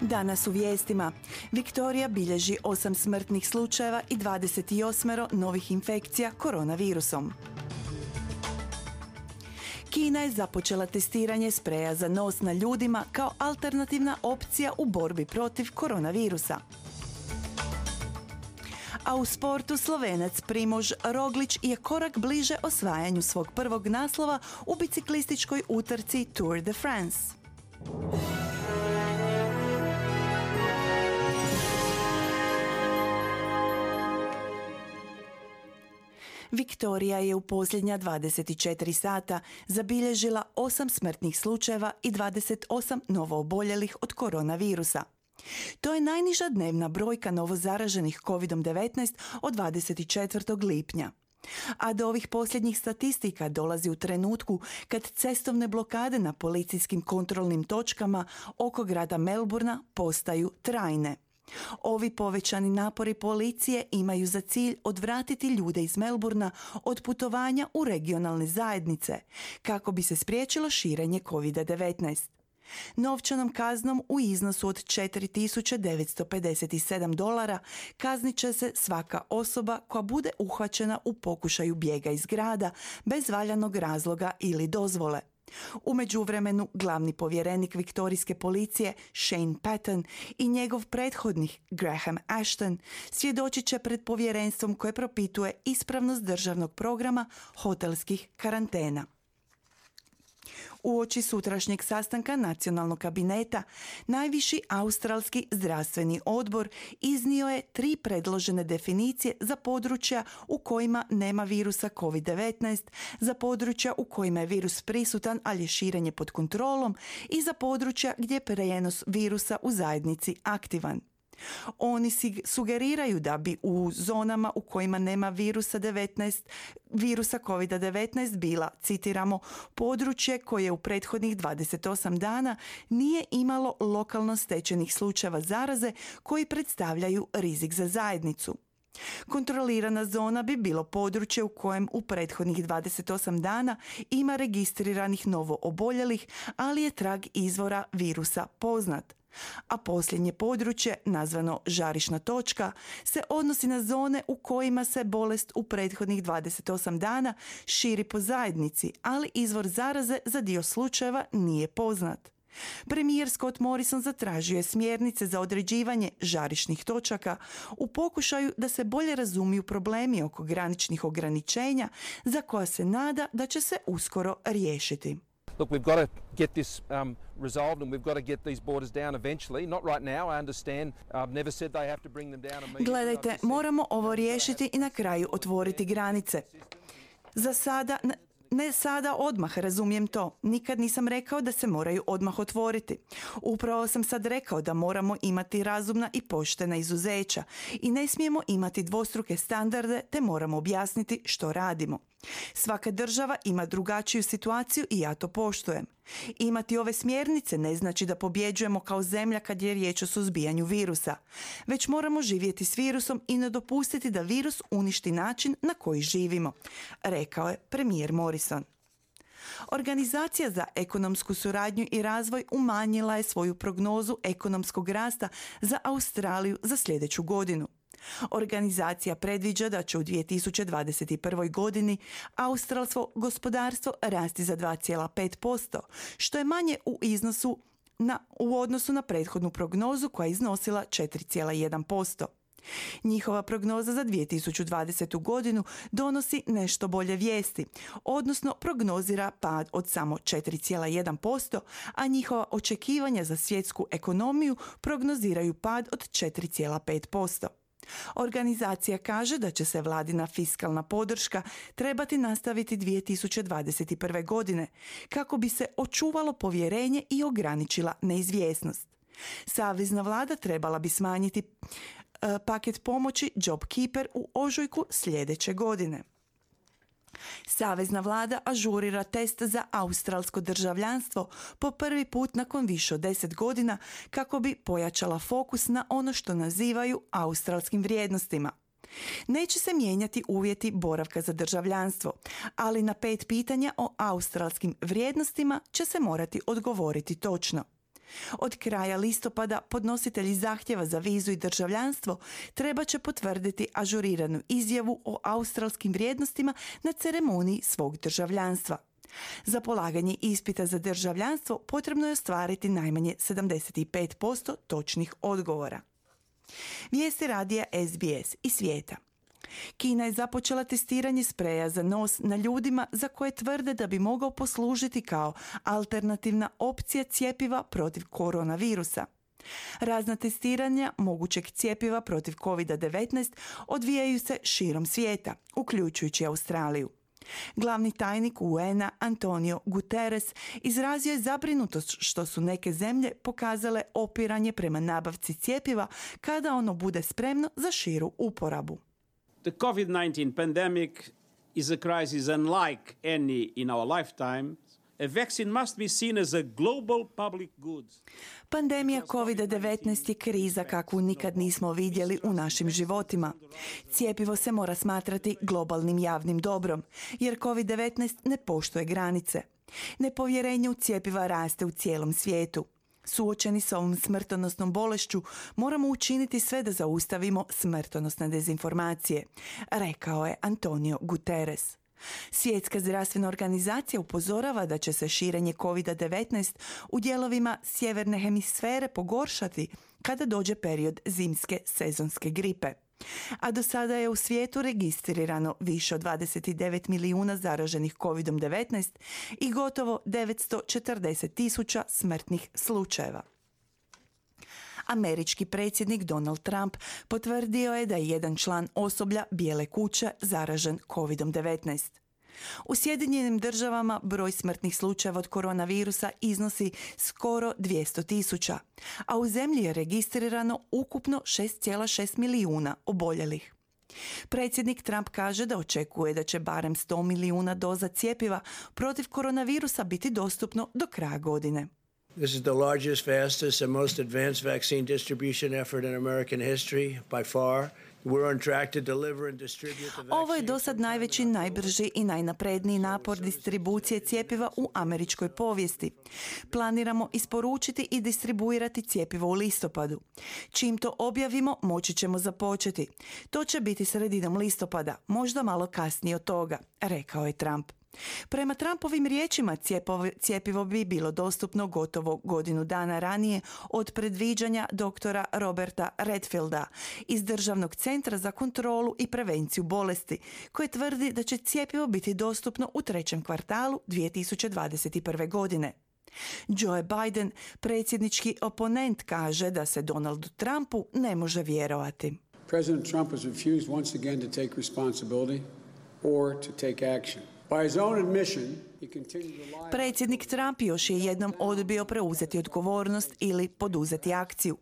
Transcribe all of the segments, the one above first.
Danas u vijestima. Viktorija bilježi 8 smrtnih slučajeva i 28 novih infekcija koronavirusom. Kina je započela testiranje spreja za nos na ljudima kao alternativna opcija u borbi protiv koronavirusa. A u sportu Slovenac Primož Roglič je korak bliže osvajanju svog prvog naslova u biciklističkoj utrci Tour de France. Viktorija je u posljednja 24 sata zabilježila 8 smrtnih slučajeva i 28 novooboljelih od koronavirusa. To je najniža dnevna brojka novozaraženih COVID-19 od 24. lipnja. A do ovih posljednjih statistika dolazi u trenutku kad cestovne blokade na policijskim kontrolnim točkama oko grada Melbourna postaju trajne. Ovi povećani napori policije imaju za cilj odvratiti ljude iz Melbourna od putovanja u regionalne zajednice, kako bi se spriječilo širenje COVID-19. Novčanom kaznom u iznosu od $4.957 kaznit će se svaka osoba koja bude uhvaćena u pokušaju bijega iz grada bez valjanog razloga ili dozvole. U međuvremenu glavni povjerenik viktorijske policije Shane Patton i njegov prethodnik Graham Ashton svjedočit će pred povjerenstvom koje propituje ispravnost državnog programa hotelskih karantena. Uoči sutrašnjeg sastanka nacionalnog kabineta, najviši australski zdravstveni odbor iznio je 3 predložene definicije za područja u kojima nema virusa COVID-19, za područja u kojima je virus prisutan, ali je širenje pod kontrolom i za područja gdje je prijenos virusa u zajednici aktivan. Oni sugeriraju da bi u zonama u kojima nema virusa COVID-19 bila, citiramo, područje koje u prethodnih 28 dana nije imalo lokalno stečenih slučajeva zaraze koji predstavljaju rizik za zajednicu. Kontrolirana zona bi bilo područje u kojem u prethodnih 28 dana ima registriranih novooboljelih, ali je trag izvora virusa poznat. A posljednje područje, nazvano žarišna točka, se odnosi na zone u kojima se bolest u prethodnih 28 dana širi po zajednici, ali izvor zaraze za dio slučajeva nije poznat. Premijer Scott Morrison zatražio je smjernice za određivanje žarišnih točaka u pokušaju da se bolje razumiju problemi oko graničnih ograničenja za koja se nada da će se uskoro riješiti. Look, we've got to get this resolved and we've got to get these borders down eventually. Not right now, I understand. I've never said they have to bring them down immediately. Gledajte, moramo ovo riješiti i na kraju otvoriti granice. Za sada, ne sada odmah, razumijem to. Nikad nisam rekao da se moraju odmah otvoriti. Upravo sam sad rekao da moramo imati razumna i poštena izuzeća i ne smijemo imati dvostruke standarde te moramo objasniti što radimo. Svaka država ima drugačiju situaciju i ja to poštujem. Imati ove smjernice ne znači da pobjeđujemo kao zemlja kad je riječ o suzbijanju virusa. Već moramo živjeti s virusom i ne dopustiti da virus uništi način na koji živimo, rekao je premijer Morrison. Organizacija za ekonomsku suradnju i razvoj umanjila je svoju prognozu ekonomskog rasta za Australiju za sljedeću godinu. Organizacija predviđa da će u 2021. godini australsko gospodarstvo rasti za 2,5%, što je manje u odnosu na prethodnu prognozu koja je iznosila 4,1%. Njihova prognoza za 2020. godinu donosi nešto bolje vijesti, odnosno prognozira pad od samo 4,1%, a njihova očekivanja za svjetsku ekonomiju prognoziraju pad od 4,5%. Organizacija kaže da će se vladina fiskalna podrška trebati nastaviti 2021. godine kako bi se očuvalo povjerenje i ograničila neizvjesnost. Savezna vlada trebala bi smanjiti paket pomoći JobKeeper u ožujku sljedeće godine. Savezna vlada ažurira test za australsko državljanstvo po prvi put nakon više od 10 godina kako bi pojačala fokus na ono što nazivaju australskim vrijednostima. Neće se mijenjati uvjeti boravka za državljanstvo, ali na 5 pitanja o australskim vrijednostima će se morati odgovoriti točno. Od kraja listopada podnositelji zahtjeva za vizu i državljanstvo treba će potvrditi ažuriranu izjavu o australskim vrijednostima na ceremoniji svog državljanstva. Za polaganje ispita za državljanstvo potrebno je ostvariti najmanje 75% točnih odgovora. Vijesti radija SBS i svijeta. Kina je započela testiranje spreja za nos na ljudima za koje tvrde da bi mogao poslužiti kao alternativna opcija cjepiva protiv koronavirusa. Razna testiranja mogućeg cjepiva protiv COVID-19 odvijaju se širom svijeta, uključujući Australiju. Glavni tajnik UN-a Antonio Guterres izrazio je zabrinutost što su neke zemlje pokazale opiranje prema nabavci cjepiva kada ono bude spremno za širu uporabu. The COVID-19 pandemic is a crisis unlike any in our lifetime. A vaccine must be seen as a global public good. Pandemija COVID-19 je kriza kakvu nikad nismo vidjeli u našim životima. Cjepivo se mora smatrati globalnim javnim dobrom, jer COVID-19 ne poštuje granice. Nepovjerenje u cjepiva raste u cijelom svijetu. Suočeni s ovom smrtonosnom bolešću, moramo učiniti sve da zaustavimo smrtonosne dezinformacije, rekao je Antonio Guterres. Svjetska zdravstvena organizacija upozorava da će se širenje COVID-19 u dijelovima sjeverne hemisfere pogoršati kada dođe period zimske sezonske gripe. A do sada je u svijetu registrirano više od 29 milijuna zaraženih COVID-19 i gotovo 940.000 smrtnih slučajeva. Američki predsjednik Donald Trump potvrdio je da je jedan član osoblja Bijele kuće zaražen COVID-19. U Sjedinjenim državama broj smrtnih slučajeva od koronavirusa iznosi skoro 200.000, a u zemlji je registrirano ukupno 6,6 milijuna oboljelih. Predsjednik Trump kaže da očekuje da će barem 100 milijuna doza cjepiva protiv koronavirusa biti dostupno do kraja godine. This is the largest, fastest, and most advanced vaccine distribution effort in American history by far. We're on track to deliver and distribute the vaccine. Ovo je dosad najveći, najbrži i najnapredniji napor distribucije cjepiva u američkoj povijesti. Planiramo isporučiti i distribuirati cjepivo u listopadu. Čim to objavimo, moći ćemo započeti. To će biti sredinom listopada, možda malo kasnije od toga, rekao je Trump. Prema Trumpovim riječima, cjepivo bi bilo dostupno gotovo godinu dana ranije od predviđanja doktora Roberta Redfielda iz Državnog centra za kontrolu i prevenciju bolesti, koji tvrdi da će cjepivo biti dostupno u trećem kvartalu 2021. godine. Joe Biden, predsjednički oponent, kaže da se Donaldu Trumpu ne može vjerovati. President Trump has refused once again to take responsibility or to take action. By his own admission, he continued to lie. Predsjednik Trump još je jednom odbio preuzeti odgovornost ili poduzeti akciju.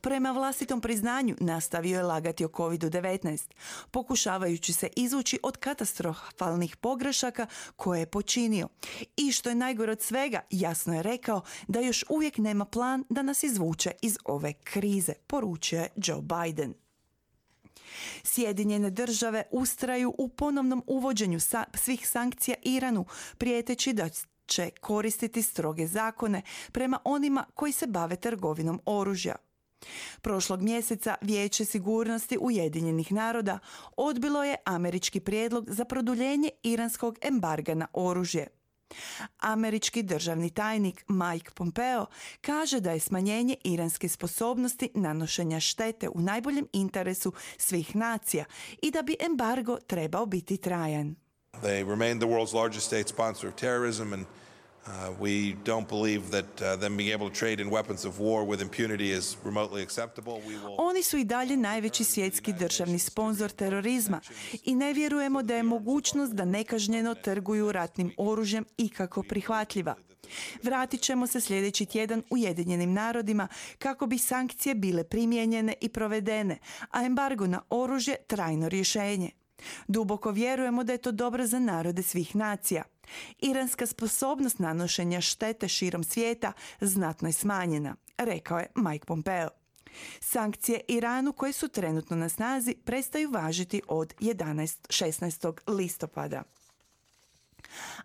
Prema vlastitom priznanju nastavio je lagati o COVID-19, pokušavajući se izvući od katastrofalnih pogrešaka koje je počinio. I što je najgore od svega, jasno je rekao da još uvijek nema plan da nas izvuče iz ove krize, poručio je Joe Biden. Sjedinjene države ustraju u ponovnom uvođenju svih sankcija Iranu, prijeteći da će koristiti stroge zakone prema onima koji se bave trgovinom oružja. Prošlog mjeseca Vijeće sigurnosti Ujedinjenih naroda odbilo je američki prijedlog za produljenje iranskog embarga na oružje. Američki državni tajnik Mike Pompeo kaže da je smanjenje iranske sposobnosti nanošenja štete u najboljem interesu svih nacija i da bi embargo trebao biti trajan. They remain the world's largest state sponsor of terrorism and we don't believe that them being able to trade in weapons of war with impunity is remotely acceptable. Oni su i dalje najveći svjetski državni sponzor terorizma i ne vjerujemo da je mogućnost da nekažnjeno trguju ratnim oružjem ikako prihvatljiva. Vratit ćemo se sljedeći tjedan Ujedinjenim narodima kako bi sankcije bile primijenjene i provedene, a embargo na oružje trajno rješenje. Duboko vjerujemo da je to dobro za narode svih nacija. Iranska sposobnost nanošenja štete širom svijeta znatno je smanjena, rekao je Mike Pompeo. Sankcije Iranu koje su trenutno na snazi prestaju važiti od 16. listopada.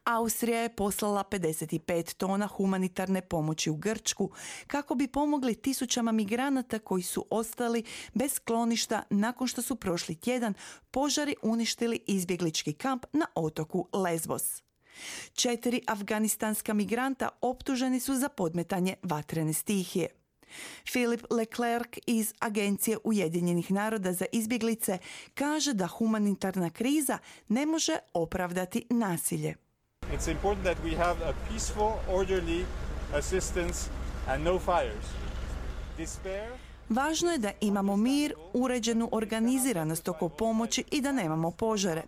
Austrija je poslala 55 tona humanitarne pomoći u Grčku kako bi pomogli tisućama migranata koji su ostali bez skloništa nakon što su prošli tjedan požari uništili izbjeglički kamp na otoku Lesbos. 4 afganistanska migranta optuženi su za podmetanje vatrene stihije. Philip Leclerc iz Agencije Ujedinjenih naroda za izbjeglice kaže da humanitarna kriza ne može opravdati nasilje. It's important that we have a peaceful, orderly assistance and no fires. Despair. Važno je da imamo mir, uređenu organiziranost oko pomoći i da nemamo požare.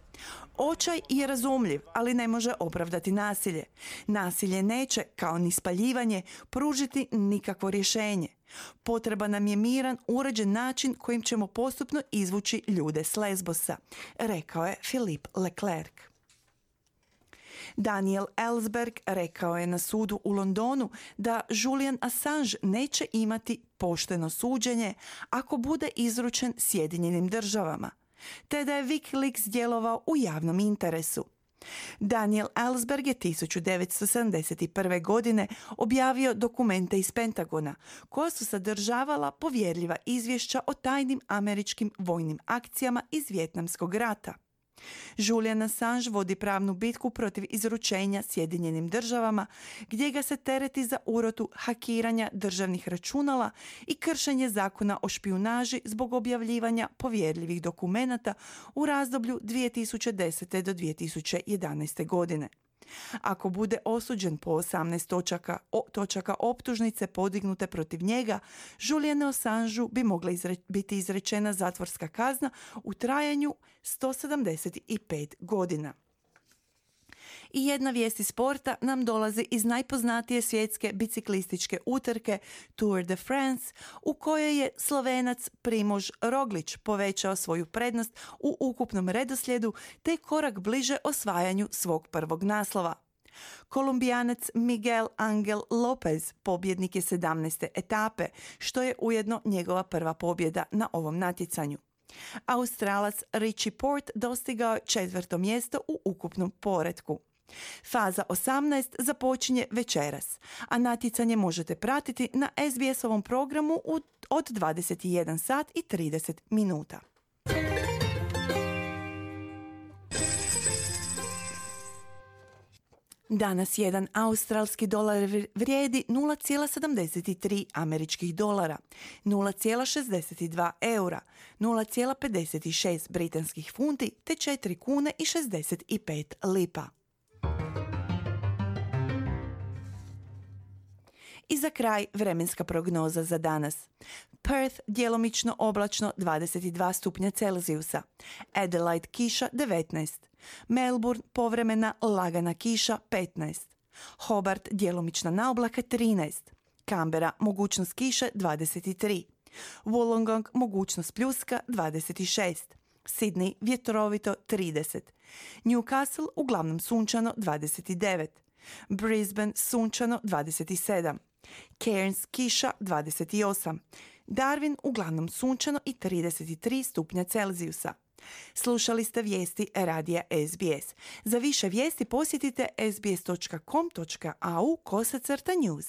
Očaj je razumljiv, ali ne može opravdati nasilje. Nasilje neće, kao ni spaljivanje, pružiti nikakvo rješenje. Potreban nam je miran, uređen način kojim ćemo postupno izvući ljude s Lesbosa, rekao je Philippe Leclerc. Daniel Ellsberg rekao je na sudu u Londonu da Julian Assange neće imati pošteno suđenje ako bude izručen Sjedinjenim državama, te da je WikiLeaks djelovao u javnom interesu. Daniel Ellsberg je 1971. godine objavio dokumente iz Pentagona koja su sadržavala povjerljiva izvješća o tajnim američkim vojnim akcijama iz Vijetnamskog rata. Julian Assange vodi pravnu bitku protiv izručenja Sjedinjenim državama, gdje ga se tereti za urotu hakiranja državnih računala i kršenje zakona o špijunaži zbog objavljivanja povjerljivih dokumenata u razdoblju 2010. do 2011. godine. Ako bude osuđen po 18 točaka optužnice podignute protiv njega, Julianu Assangeu bi mogla biti izrečena zatvorska kazna u trajanju 175 godina. I jedna vijest iz sporta nam dolazi iz najpoznatije svjetske biciklističke utrke Tour de France, u kojoj je Slovenac Primož Roglič povećao svoju prednost u ukupnom redoslijedu te korak bliže osvajanju svog prvog naslova. Kolumbijanac Miguel Angel Lopez pobjednik je 17. etape, što je ujedno njegova prva pobjeda na ovom natjecanju. Australac Richie Porte dostigao je 4. mjesto u ukupnom poretku. Faza 18 započinje večeras, a natjecanje možete pratiti na SBS-ovom programu od 21 sat i 30 minuta. Danas jedan australski dolar vrijedi 0,73 američkih dolara, 0,62 eura, 0,56 britanskih funti te 4 kune i 65 lipa. I za kraj vremenska prognoza za danas. Perth djelomično oblačno 22 stupnja Celzijusa, Adelaide kiša 19, Melbourne povremena lagana kiša 15, Hobart djelomična naoblaka 13, Canberra mogućnost kiše 23, Wollongong mogućnost pljuska 26, Sydney vjetrovito 30, Newcastle uglavnom sunčano 29, Brisbane sunčano 27, Cairns kiša 28, Darwin uglavnom sunčano i 33 stupnja Celzijusa. Slušali ste vijesti radija SBS. Za više vijesti posjetite sbs.com.au/news.